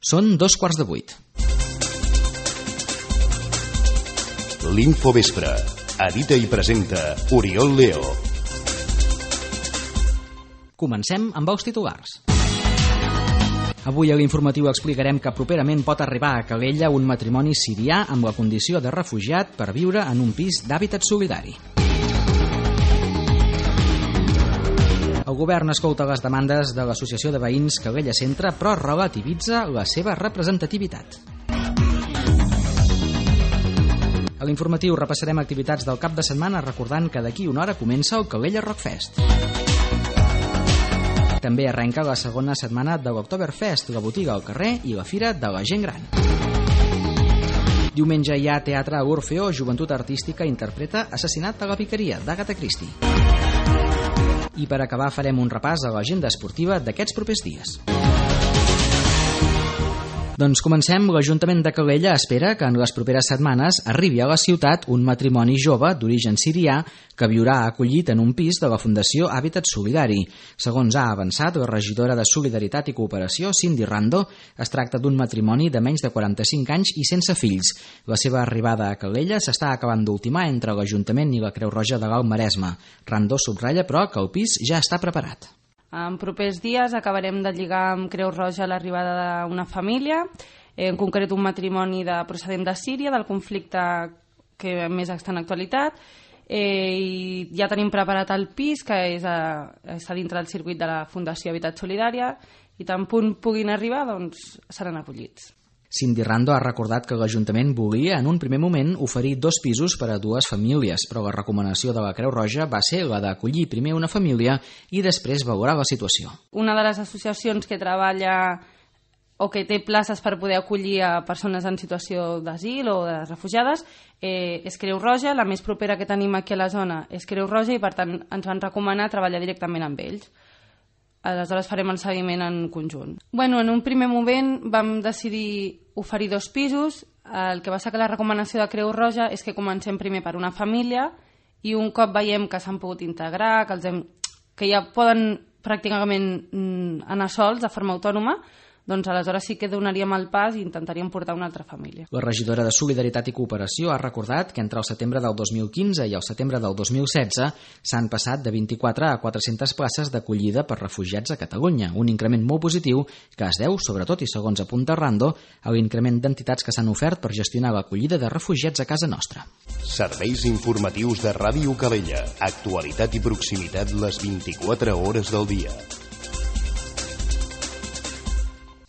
Són 7:15. L'Infovespre. Edita i presenta Oriol Leo. Comencem amb els titulars. Avui a l'informatiu explicarem que properament pot arribar a Calella un matrimoni sirià amb la condició de refugiat per viure en un pis d'hàbitat solidari. El govern escolta les demandes de l'Associació de Veïns Calella Centre, però relativitza la seva representativitat. A l'informatiu repassarem activitats del cap de setmana recordant que d'aquí una hora comença el Calella Rock Fest. També arrenca la segona setmana de l'Oktoberfest, la botiga al carrer i la fira de la gent gran. Diumenge hi ha teatre a l'Orfeó, Joventut Artística interpreta Assassinat a la Vicaria, d'Agatha Christie. I per acabar farem un repàs a l'agenda esportiva d'aquests propers dies. Doncs comencem. L'Ajuntament de Calella espera que en les properes setmanes arribi a la ciutat un matrimoni jove d'origen sirià que viurà acollit en un pis de la Fundació Hàbitat Solidari. Segons ha avançat la regidora de Solidaritat i Cooperació, Cindy Rando, es tracta d'un matrimoni de menys de 45 anys i sense fills. La seva arribada a Calella s'està acabant d'ultimar entre l'Ajuntament i la Creu Roja de l'Alt Maresme. Rando subratlla, però, que el pis ja està preparat. En propers dies acabarem de lligar amb Creu Roja l'arribada d'una família, en concret un matrimoni procedent de Síria, del conflicte que més està en actualitat, i ja tenim preparat el pis, que està dintre del circuit de la Fundació Habitat Solidària, i tan punt puguin arribar, doncs seran acollits. Cindy Rando ha recordat que l'Ajuntament volia en un primer moment oferir 2 pisos per a 2 famílies, però la recomanació de la Creu Roja va ser la d'acollir primer una família i després valorar la situació. Una de les associacions que treballa o que té places per poder acollir a persones en situació d'asil o de refugiades és Creu Roja. La més propera que tenim aquí a la zona és Creu Roja i per tant ens van recomanar treballar directament amb ells. Aleshores farem el seguiment en conjunt. En un primer moment vam decidir oferir 2 pisos. El que va ser que la recomanació de Creu Roja és que comencem primer per una família i un cop veiem que s'han pogut integrar, que ja poden pràcticament anar sols de forma autònoma, doncs aleshores sí que donaríem el pas i intentaríem portar una altra família. La regidora de Solidaritat i Cooperació ha recordat que entre el setembre del 2015 i el setembre del 2016 s'han passat de 24 a 400 places d'acollida per refugiats a Catalunya, un increment molt positiu que es deu, sobretot i segons apunta Rando, a l'increment d'entitats que s'han ofert per gestionar l'acollida de refugiats a casa nostra. Serveis informatius de Ràdio Calella. Actualitat i proximitat les 24 hores del dia.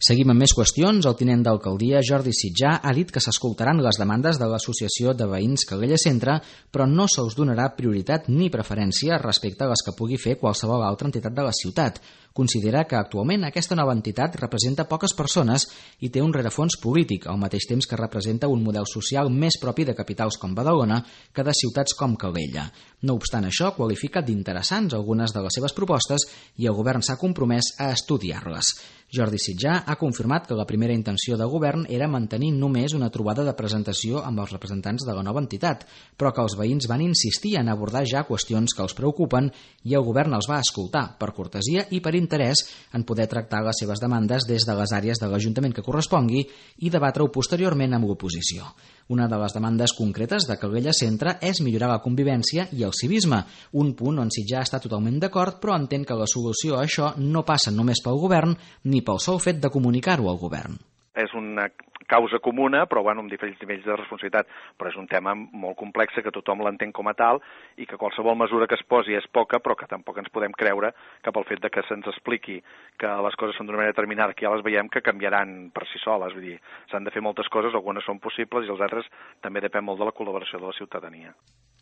Seguim amb més qüestions. El tinent d'alcaldia, Jordi Sitjà, ha dit que s'escoltaran les demandes de l'Associació de Veïns Calella Centre, però no se'ls donarà prioritat ni preferència respecte a les que pugui fer qualsevol altra entitat de la ciutat. Considera que actualment aquesta nova entitat representa poques persones i té un rerefons polític, al mateix temps que representa un model social més propi de capitals com Badalona que de ciutats com Calella. No obstant això, qualifica d'interessants algunes de les seves propostes i el govern s'ha compromès a estudiar-les. Jordi Sitjà ha confirmat que la primera intenció de govern era mantenir només una trobada de presentació amb els representants de la nova entitat, però que els veïns van insistir en abordar ja qüestions que els preocupen i el govern els va escoltar, per cortesia i per interès en poder tractar les seves demandes des de les àrees de l'Ajuntament que correspongui i debatre-ho posteriorment amb l'oposició. Una de les demandes concretes de Calella Centre és millorar la convivència i el civisme, un punt on Sitjà està totalment d'acord, però entén que la solució a això no passa només pel govern ni pel sol fet de comunicar-ho al govern. És una causa comuna, però amb diferents nivells de responsabilitat, però és un tema molt complex que tothom l'entén com a tal i que qualsevol mesura que es posi és poca, però que tampoc ens podem creure que pel fet de que se'ns expliqui que les coses són d'una manera determinada, que ja les veiem que canviaran per si soles. Vull dir, s'han de fer moltes coses, algunes són possibles i els altres també depèn molt de la col·laboració de la ciutadania.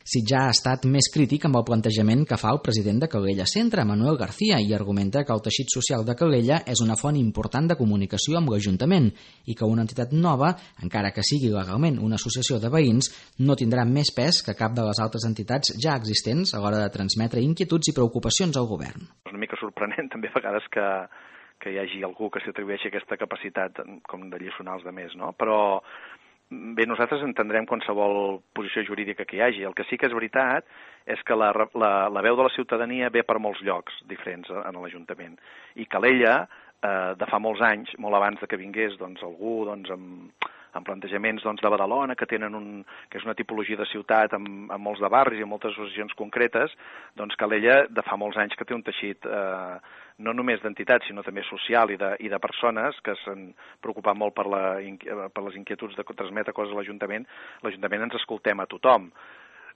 Sitjà ha estat més crític amb el plantejament que fa el president de Calella Centre, Manuel García, i argumenta que el teixit social de Calella és una font important de comunicació amb l'Ajuntament i que una entitat nova, encara que sigui legalment una associació de veïns, no tindrà més pes que cap de les altres entitats ja existents a l'hora de transmetre inquietuds i preocupacions al govern. És una mica sorprenent també a vegades que hi hagi algú que s'atribueixi aquesta capacitat com de lliçonar els altres, no? Però bé, nosaltres entendrem qualsevol posició jurídica que hi hagi. El que sí que és veritat és que la veu de la ciutadania ve per molts llocs diferents en l'Ajuntament. I Calella de fa molts anys, molt abans de que vingués algú amb plantejaments de Badalona, que és una tipologia de ciutat amb molts de barris i amb moltes associacions concretes, Calella de fa molts anys que té un teixit no només d'entitats, sinó també social i de persones que s'han preocupat molt per les inquietuds de transmetre coses a l'Ajuntament. L'Ajuntament ens escoltem a tothom.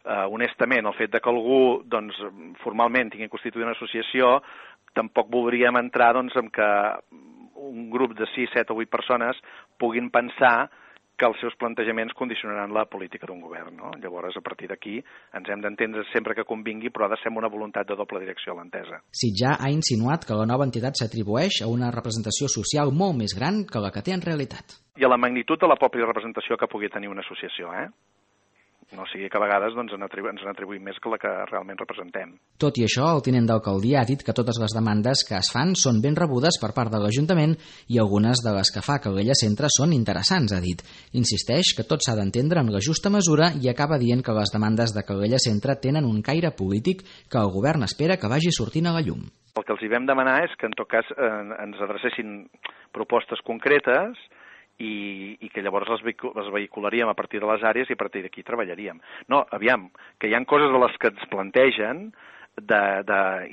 Honestament, el fet de que algú formalment tingui constituït una associació, tampoc voldríem entrar en que un grup de 6, 7 o 8 persones puguin pensar que els seus plantejaments condicionaran la política d'un govern, no? Llavors, a partir d'aquí, ens hem d'entendre sempre que convingui, però ha de ser amb una voluntat de doble direcció a l'entesa. Sitjar ha insinuat que la nova entitat s'atribueix a una representació social molt més gran que la que té en realitat. I a la magnitud de la pròpia representació que pugui tenir una associació, No sigui que a vegades ens n'atribuïm més que la que realment representem. Tot i això, el tinent d'alcaldia ha dit que totes les demandes que es fan són ben rebudes per part de l'Ajuntament i algunes de les que fa Calella Centre són interessants, ha dit. Insisteix que tot s'ha d'entendre en la justa mesura i acaba dient que les demandes de Calella Centre tenen un caire polític que el govern espera que vagi sortint a la llum. El que els hi vam demanar és que en tot cas ens adrecessin propostes concretes i que llavors les vehicularíem a partir de les àrees i a partir d'aquí treballaríem. No, aviam, que hi ha coses de les que ens plantegen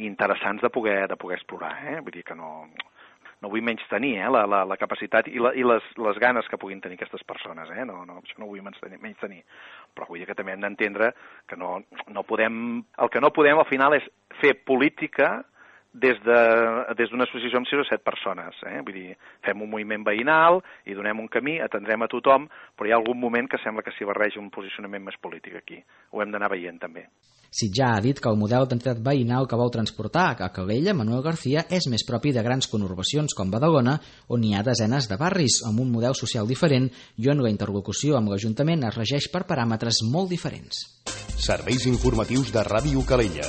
interessants de poder explorar, Vull dir que no vull menystenir la capacitat i les ganes que puguin tenir aquestes persones, No, això no ho vull menystenir. Però vull dir que també hem d'entendre que no podem... El que no podem al final és fer política des d'una associació amb 6 o 7 persones. Vull dir, fem un moviment veïnal i donem un camí, atendrem a tothom, però hi ha algun moment que sembla que s'hi barreja un posicionament més polític aquí. Ho hem d'anar veient també. Sitjar ha dit que el model d'entitat veïnal que vol transportar a Calella, Manuel García, és més propi de grans conurbacions com Badalona, on hi ha desenes de barris, amb un model social diferent i on la interlocució amb l'Ajuntament es regeix per paràmetres molt diferents. Serveis informatius de Ràdio Calella.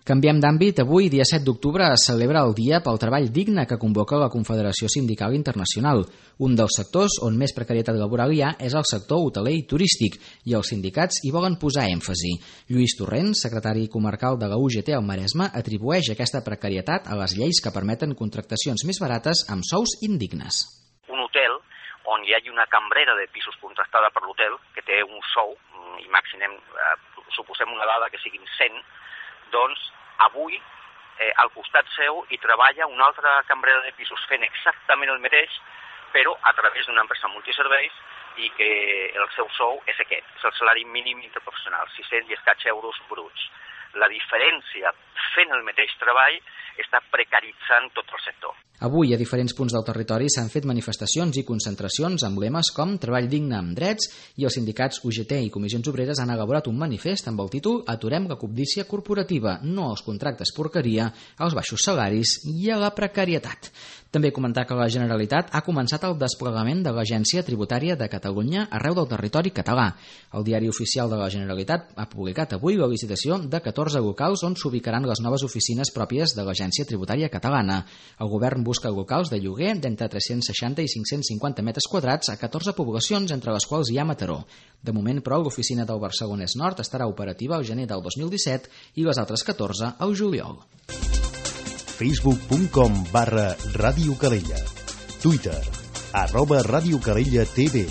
Canviem d'àmbit. Avui, dia 7 d'octubre, es celebra el Dia pel Treball Digne que convoca la Confederació Sindical Internacional. Un dels sectors on més precarietat laboral hi ha és el sector hoteler i turístic, i els sindicats hi volen posar èmfasi. Lluís Torrents, secretari comarcal de la UGT al Maresme, atribueix aquesta precarietat a les lleis que permeten contractacions més barates amb sous indignes. Un hotel on hi hagi una cambrera de pisos contractada per l'hotel que té un sou, imaginem, suposem una dada que siguin 100, doncs avui al costat seu hi treballa una altra cambrera de pisos fent exactament el mateix, però a través d'una empresa multiserveis i que el seu sou és aquest, és el salari mínim interprofessional, 600 i escaig euros bruts. La diferència fent el mateix treball està precaritzant tot el sector. Avui, a diferents punts del territori s'han fet manifestacions i concentracions amb lemes com Treball digne amb drets, i els sindicats UGT i Comissions Obreres han elaborat un manifest amb el títol Aturem la cobdícia corporativa, no als contractes porqueria, als baixos salaris i a la precarietat. També comentar que la Generalitat ha començat el desplegament de l'Agència Tributària de Catalunya arreu del territori català. El Diari Oficial de la Generalitat ha publicat avui la licitació de 14 locals on s'ubicaran les noves oficines pròpies de l'Agència Tributària Catalana. El govern busca locals de lloguer d'entre 360 i 550 metres quadrats a 14 poblacions, entre les quals hi ha Mataró. De moment, però, l'oficina del Barcelonès Nord estarà operativa al gener del 2017 i les altres 14 al juliol. facebook.com/Ràdio Calella, Twitter @Ràdio Calella TV.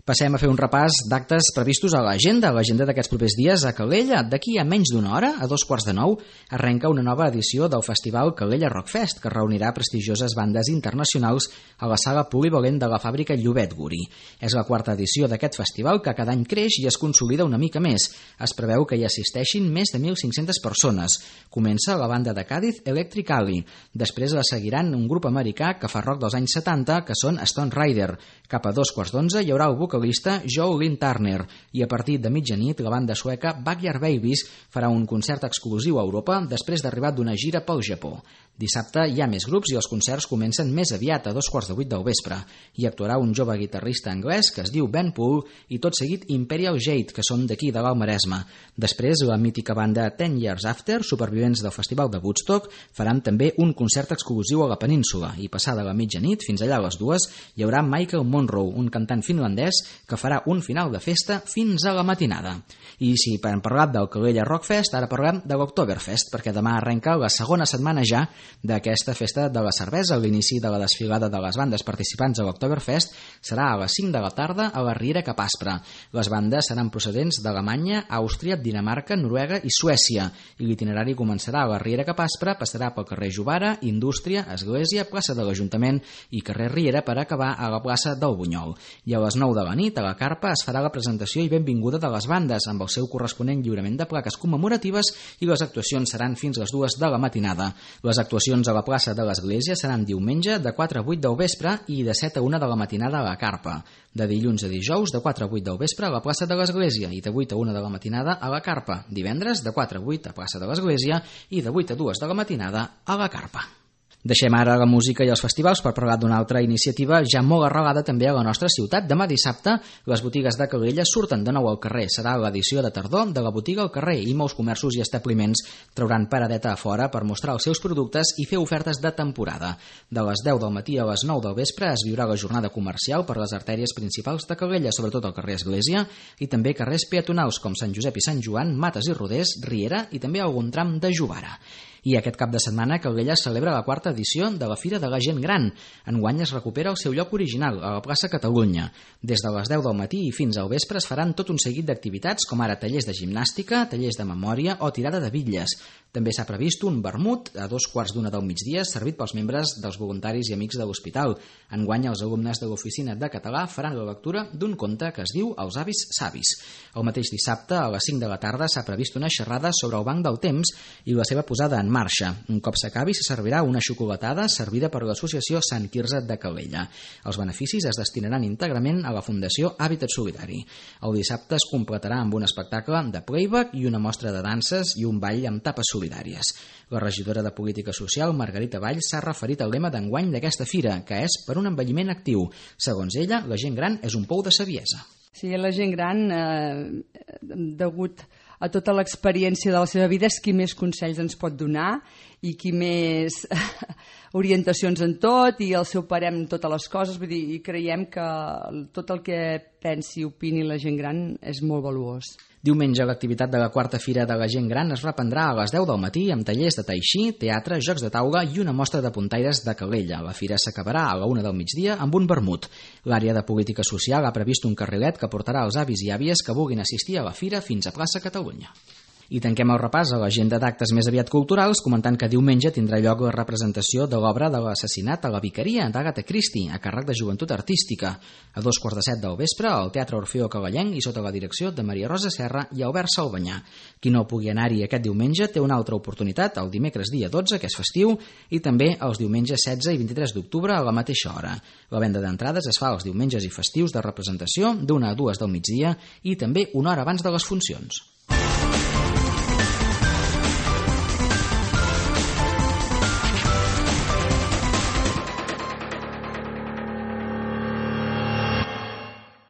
Passem a fer un repàs d'actes previstos a l'agenda d'aquests propers dies a Calella. D'aquí a menys d'una hora, a 8:45, arrenca una nova edició del festival Calella Rockfest, que reunirà prestigioses bandes internacionals a la sala polivalent de la fàbrica Llobet Guri. És la quarta edició d'aquest festival, que cada any creix i es consolida una mica més. Es preveu que hi assisteixin més de 1.500 persones. Comença la banda de Càdiz Electric Alley. Després la seguiran un grup americà que fa rock dels anys 70, que són Stone Rider. Cap a 2:15 hi haurà el vocalista Joe Lynn Turner, i a partir de mitjanit la banda sueca Backyard Babies farà un concert exclusiu a Europa després d'arribar d'una gira pel Japó. Dissabte hi ha més grups i els concerts comencen més aviat, a 7:15 del vespre. Hi actuarà un jove guitarrista anglès que es diu Ben Poole i tot seguit Imperial Jade, que són d'aquí de l'Alt Maresme. Després la mítica banda 10 Years After, supervivents del Festival de Woodstock, faran també un concert exclusiu a la península, i passada la mitjanit, fins allà a les 2, hi haurà Michael Monroe, un cantant finlandès que farà un final de festa fins a la matinada. I si hem parlat del Calella Rockfest, ara parlem de l'Oktoberfest, perquè demà arrenca la segona setmana ja d'aquesta festa de la cervesa. L'inici de la desfilada de les bandes participants a l'Oktoberfest serà a les 5 de la tarda a la Riera Cap Aspre. Les bandes seran procedents d'Alemanya, Àustria, Dinamarca, Noruega i Suècia, i l'itinerari començarà a la Riera Cap Aspre, passarà pel carrer Jovara, Indústria, Església, plaça de l'Ajuntament i carrer Riera per acabar a la plaça del Bunyol. I a les 9 de la nit, a la carpa, es farà la presentació i benvinguda de les bandes, amb el seu corresponent lliurament de plaques commemoratives, i les actuacions seran fins les 2 de la matinada. Les actuacions a la plaça de l'Església seran diumenge de 4 a 8 del vespre i de 7 a 1 de la matinada a la carpa. De dilluns a dijous, de 4 a 8 del vespre a la plaça de l'Església i de 8 a 1 de la matinada a la carpa. Divendres, de 4 a 8 a plaça de l'Església i de 8 a 2 de la matinada a la carpa. Deixem ara la música i els festivals per parlar d'una altra iniciativa ja molt arrelada també a la nostra ciutat. Demà dissabte les botigues de Calella surten de nou al carrer. Serà l'edició de tardor de la botiga al carrer i molts comerços i establiments trauran paradeta a fora per mostrar els seus productes i fer ofertes de temporada. De les 10 del matí a les 9 del vespre es viurà la jornada comercial per les artèries principals de Calella, sobretot al carrer Església i també carrers peatonals com Sant Josep i Sant Joan, Mates i Rodés, Riera i també algun tram de Jovara. I aquest cap de setmana Calella celebra la 4ª edició de la Fira de la Gent Gran. Enguany es recupera el seu lloc original, a la plaça Catalunya. Des de les 10 del matí i fins al vespre es faran tot un seguit d'activitats com ara tallers de gimnàstica, tallers de memòria o tirada de bitlles. També s'ha previst un vermut a 2:15 del migdia servit pels membres dels voluntaris i amics de l'hospital. Enguany els alumnes de l'oficina de català faran la lectura d'un conte que es diu Els avis savis. El mateix dissabte a les 5 de la tarda s'ha previst una xerrada sobre el banc del temps i la seva posada en marxa. Un cop s'acabi se servirà una xocolatada servida per l'associació Sant Quirze de Calella. Els beneficis es destinaran íntegrament a la Fundació Hàbitat Solidari. El dissabte es completarà amb un espectacle de playback i una mostra de danses i un ball amb tapes solidàries. La regidora de Política Social, Margarita Valls, s'ha referit al lema d'enguany d'aquesta fira, que és per un envelliment actiu. Segons ella, la gent gran és un pou de saviesa. Sí, la gent gran, degut a tota l'experiència de la seva vida, és qui més consells ens pot donar i qui més orientacions en tot i el seu parer en totes les coses. Vull dir, i creiem que tot el que pensi i opini la gent gran és molt valuós. Diumenge l'activitat de la 4ª Fira de la Gent Gran es reprendrà a les 10 del matí amb tallers de tai chi, teatre, jocs de taula i una mostra de puntaires de Calella. La fira s'acabarà a la 1 del migdia amb un vermut. L'àrea de Política Social ha previst un carrilet que portarà els avis i àvies que vulguin assistir a la fira fins a plaça Catalunya. I tanquem el repàs a l'agenda d'actes més aviat culturals comentant que diumenge tindrà lloc la representació de l'obra de l'assassinat a la Vicaria d'Agatha Christie a càrrec de Joventut Artística. A 2:15 del vespre al Teatre Orfeo Cavallenc i sota la direcció de Maria Rosa Serra i Albert Salvanyà. Qui no pugui anar-hi aquest diumenge té una altra oportunitat el dimecres dia 12, que és festiu, i també els diumenges 16 i 23 d'octubre a la mateixa hora. La venda d'entrades es fa els diumenges i festius de representació d'1 a 2 del migdia i també una hora abans de les funcions.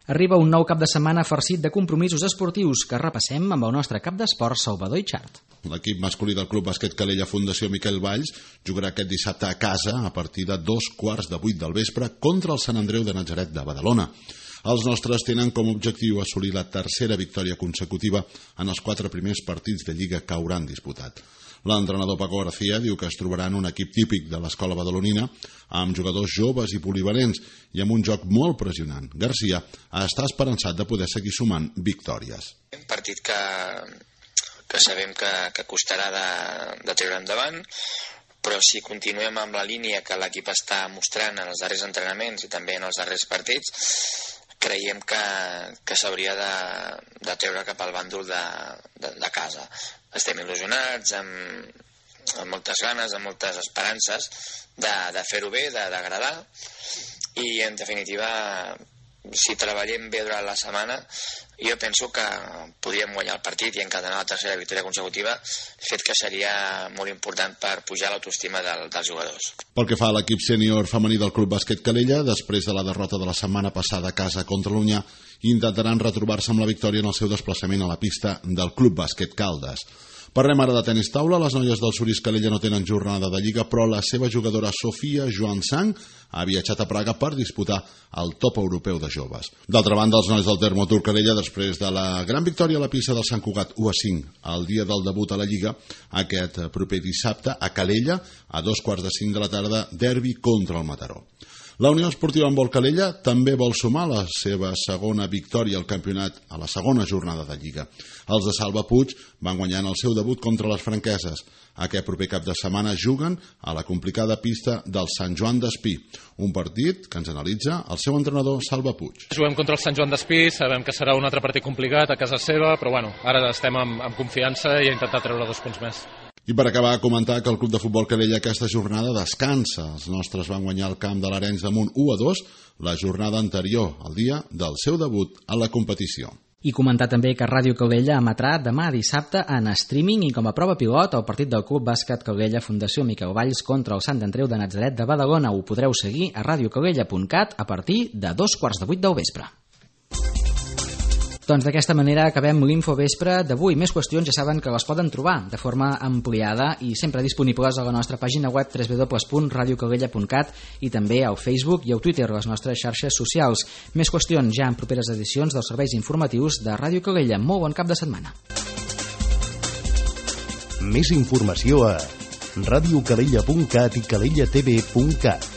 Arriba un nou cap de setmana farcit de compromisos esportius que repassem amb el nostre cap d'esport Salvador Itxart. L'equip masculí del Club Bàsquet Calella Fundació Miquel Valls jugarà aquest dissabte a casa a partir de 2:15 del vespre contra el Sant Andreu de Natzaret de Badalona. Els nostres tenen com a objectiu assolir la 3ª victòria consecutiva en els 4 primers partits de Lliga que hauran disputat. L'entrenador Paco García diu que es trobarà en un equip típic de l'escola badalonina amb jugadors joves i polivalents i amb un joc molt pressionant. García està esperançat de poder seguir sumant victòries. Un partit que sabem que costarà de treure endavant, però si continuem amb la línia que l'equip està mostrant en els darrers entrenaments i també en els darrers partits, creiem que s'hauria de treure cap al bàndol de casa. Estem il·lusionats, amb moltes ganes, amb moltes esperances de fer-ho bé, d'agradar, i en definitiva, si treballem bé durant la setmana, jo penso que podríem guanyar el partit i encadenar la 3ª victòria consecutiva, fet que seria molt important per pujar l'autoestima dels jugadors. Pel que fa a l'equip sènior femení del Club Bàsquet Calella, després de la derrota de la setmana passada a casa contra l'Unyà, intentaran retrobar-se amb la victòria en el seu desplaçament a la pista del Club Bàsquet Caldes. Parlem ara de tenis taula. Les noies del Suris Calella no tenen jornada de Lliga, però la seva jugadora Sofia Joansang ha viatjat a Praga per disputar el top europeu de joves. D'altra banda, els nois del Termotur Calella, després de la gran victòria a la pista del Sant Cugat 1-5 el dia del debut a la Lliga, aquest proper dissabte a Calella, a 2:45 de la tarda, derbi contra el Mataró. La Unió Esportiva Handbol Calella també vol sumar la seva segona victòria al campionat a la segona jornada de Lliga. Els de Salva Puig van guanyar en el seu debut contra les franqueses. Aquest proper cap de setmana juguen a la complicada pista del Sant Joan d'Espí, un partit que ens analitza el seu entrenador Salva Puig. Juguem contra el Sant Joan d'Espí, sabem que serà un altre partit complicat a casa seva, però bueno, ara estem amb confiança i a intentar treure 2 punts més. I per acabar, comentar que el Club de Futbol Calella aquesta jornada descansa. Els nostres van guanyar el camp de l'Arenys de Munt 1-2 la jornada anterior, el dia del seu debut a la competició. I comentar també que Ràdio Calella emetrà demà dissabte en streaming i com a prova pilot el partit del Club Bàsquet Calella Fundació Miquel Valls contra el Sant Andreu de Natzaret de Badalona. Ho podreu seguir a radiocalella.cat a partir de 7:15 del vespre. Doncs d'aquesta manera acabem l'Infovespre d'avui. Més qüestions ja saben que les poden trobar de forma ampliada i sempre disponibles a la nostra pàgina web www.radiocalella.cat i també al Facebook i al Twitter, les nostres xarxes socials. Més qüestions ja en properes edicions dels serveis informatius de Ràdio Calella. Molt bon cap de setmana. Més informació a radiocalella.cat i calellatv.cat.